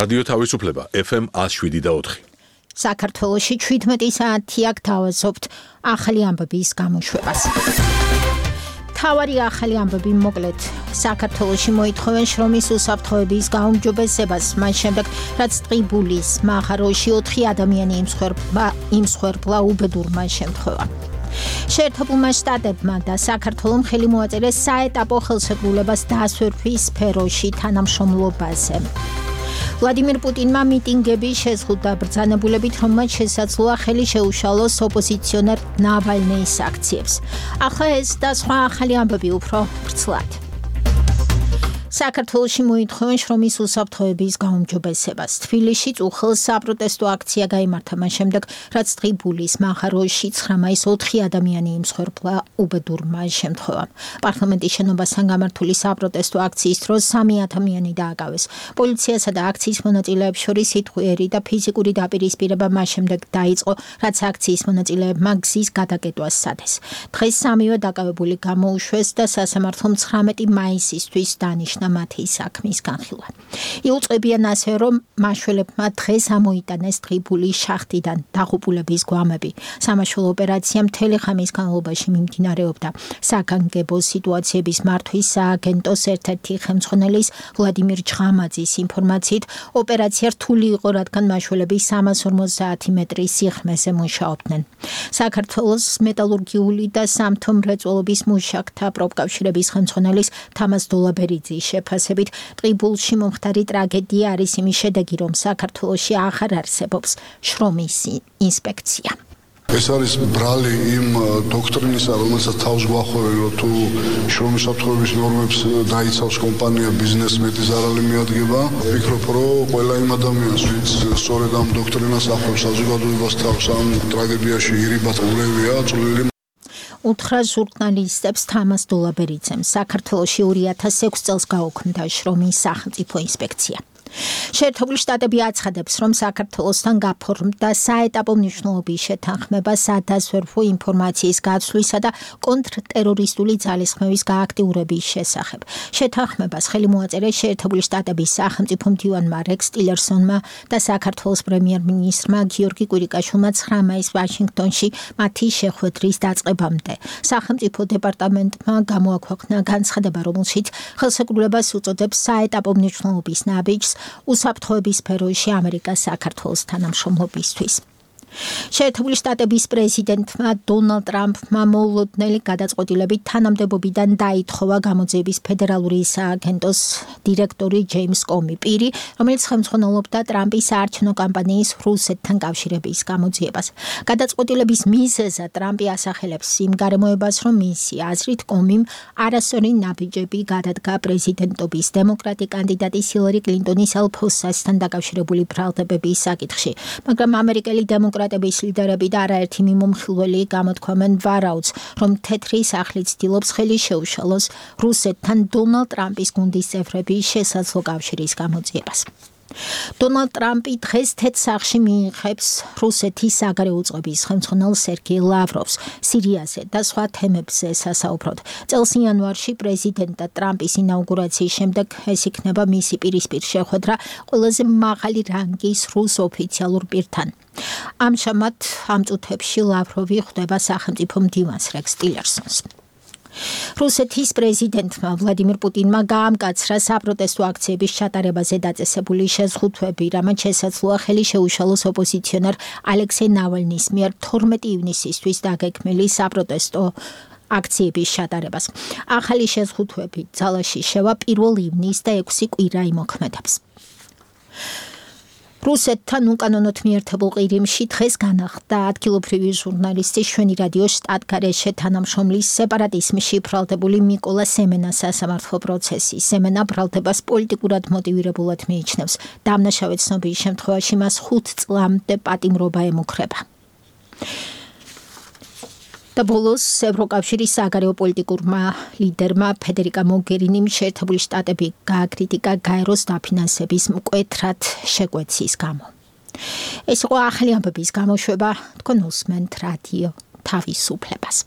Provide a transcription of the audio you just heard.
რადიო თავისუფლება FM 107.4. საქართველოში 17 საათი აქ თავაზობთ ახალი ამბების გამოშვებას. თავარი ახალი ამბები მოკლედ საქართველოში მოითხოვენ შრომის უსაფრთხოების გაუმჯობესებას მას შემდეგ რაც ტყიბულის მაღაროში 4 ადამიანი იმსხვერპლა უბედურმა შემთხვევამ. შეერთებულმა შტატებმა და საქართველომ ხელი მოაწერეს საეტაპო ხელშეკრულებას დასვერვის სფეროში თანამშრომლობაზე. ვლადიმირ პუტინმა მიტინგები შეზღუდა ბრძანებულებით, რომ მათ შესაძლოა ხელი შეუშალოს ოპოზიციონერ ნავალნეის აქციებს. ახლა ეს და სხვა ახალი ამბები უფრო ვრცლად. საქართველოში მოითხოვენ შრომის უსაფრთხოების გაუმჯობესებას. თბილისში უხელს საპროტესტო აქცია გაიმართა მას შემდეგ, რაც ტყიბულის მაღაროში 9 მაისს 4 ადამიანი იმსხვერპლა უბედურმა შემთხვევამ. პარლამენტის შენობასთან გამართული საპროტესტო აქციის დროს 3 ადამიანი დააკავეს. პოლიციასა და აქციის მონაწილეებს შორის სიტყვიერი და ფიზიკური დაპირისპირება მას შემდეგ დაიწყო, რაც აქციის მონაწილეებმა გზის გადაკეტვას სცადეს. დღეს 3-ვე დაკავებული გამოუშვეს და სასამართლომ 19 მაისისთვის დანიშნა მათი საქმის განხილვა. იუწყებიან ასე, რომ მაშველებმა დღეს ამოიტანეს ტყიბულის შახტიდან დაღუპულების გვამები. სამაშველო ოპერაცია მთელი ხამის განმავლობაში მიმდინარეობდა. საგანგებო სიტუაციების მართვის სააგენტოს ერთ-ერთი ხელმძღვანელის ვლადიმირ ჭღამაძის ინფორმაციით, ოპერაცია რთული იყო, რადგან მაშველები 350 მეტრის სიღრმეზე მუშაობდნენ. საქართველოს მეტალურგიული და სამთო მრეწველობის მუშაკთა პროფკავშირების ხელმძღვანელის თამაზ დოლაბერიძის შეფასებით, ტყიბულში მომხდარი ტრაგედია არის იმის შედეგი, რომ საქართველოში აღარ არსებობს შრომის ინსპექცია. ეს არის ბრალი იმ დოქტრინისა, რომელსაც თავს გვახვევენ, რომ თუ შრომის უსაფრთხოების ნორმებს დაიცავს კომპანია, ბიზნესს მეტი ზარალი მიადგება. ვფიქრობ, რომ ყველა იმ ადამიანს, ვინც სწორედ ამ დოქტრინას ახლავს საზოგადოებას თავს ამ ტრაგედიაში ირიბად ულევია, წვლილი უთხრა ჟურნალისტებს თამაზ დოლაბერიძემ. საქართველოში 2006 წელს გაუქმდა შრომის სახელმწიფო ინსპექცია. შეერთებული შტატები აცხადებს, რომ საქართველოსთან გაფორმდა საეტაპო მნიშვნელობის შეთანხმება სადაზვერვო ინფორმაციის გაცვლისა და კონტრტერორისტული ძალისხმევის გააქტიურების შესახებ. შეთანხმებას ხელი მოაწერეს შეერთებული შტატების სახელმწიფო მდივანმა რექს ტილერსონმა და საქართველოს პრემიერ-მინისტრმა გიორგი კვირიკაშვილმა 9 მაისს ვაშინგტონში მათი შეხვედრის დაწყებამდე. სახელმწიფო დეპარტამენტმა გამოაქვეყნა განცხადება, რომელშიც ხელშეკრულებას უწოდებს საეტაპო მნიშვნელობის ნაბიჯს უსაფრთხოების სფეროში ამერიკას საქართველოს თანამშრომლობისთვის. შეერთებული შტატების პრეზიდენტმა დონალდ ტრამპმა მოულოდნელი გადაწყვეტილებით თანამდებობიდან დაითხოვა გამოძიების ფედერალური სააგენტოს დირექტორი ჯეიმს კომი, პირი, რომელიც ხელმძღვანელობდა ტრამპის საარჩევნო კამპანიის რუსეთთან კავშირების გამოძიებას. გადაწყვეტილების მიზეზად ტრამპი ასახელებს იმ გარემოებას, რომ მისი აზრით კომიმ არასწორი ნაბიჯები გადადგა პრეზიდენტობის დემოკრატი კანდიდატის ჰილარი კლინტონის ელფოსასთან დაკავშირებული ბრალდებების საკითხში, მაგრამ ამერიკელი დემოკრატების ლიდერები და არაერთი მიმომხილველი გამოთქვამენ ვარაუდს, რომ თეთრი სახლი ცდილობს ხელი შეუშალოს რუსეთთან დონალდ ტრამპის გუნდის წევრების შესაძლო კავშირის გამოძიებას. დონალდ ტრამპი დღეს თეთრ სახლში მიიღებს რუსეთის საგარეო უწყების ხელმძღვანელ სერგეი ლავროვს სირიაზე და სხვა თემებზე სასაუბროდ. წელს იანვარში პრეზიდენტ ტრამპის ინაუგურაციის შემდეგ ეს იქნება მისი პირისპირ შეხვედრა ყველაზე მაღალი რანგის რუს ოფიციალურ პირთან. ამჟამად ამ წუთებში ლავროვი ხვდება სახელმწიფო მდივანს რექს ტილერსონს. რუსეთის პრეზიდენტმა ვლადიმირ პუტინმა გაამკაცრა საპროტესტო აქციების ჩატარებაზე დაწესებული შეზღუდვები, რამაც შესაძლოა ხელი შეუშალოს ოპოზიციონერ ალექსეი ნავალნის მიერ 12 ივნისისთვის დაგეგმილი საპროტესტო აქციების ჩატარებას. ახალი შეზღუდვები ძალაში შევა 1 ივნის და 6 კვირა იმოქმედებს. რუსეთთან უკანონოდ მიერთებულ ყირიმში დღეს განახლდა ადგილობრივი ჟურნალისტი შვენი რადიო შტატგარეშე თანამშრომლის სეპარატიზმში ბრალდებული მიკოლა სემენას სასამართლო პროცესი. სემენა ბრალდებას პოლიტიკურად მოტივირებულად მიიჩნევს. დამნაშავე ცნობის შემთხვევაში მას 5 წლამდე პატიმრობა ემუქრება. და ბოლოს ევროკავშირის საგარეო პოლიტიკურმა ლიდერმა ფედერიკა მოგერინიმ შეერთებული შტატები გააკრიტიკა გაეროს დაფინანსების მკვეთრად შეკვეცის გამო. ეს იყო ახალი ამბების გამოშვება, თქვენ უსმენთ რადიო თავისუფლებას.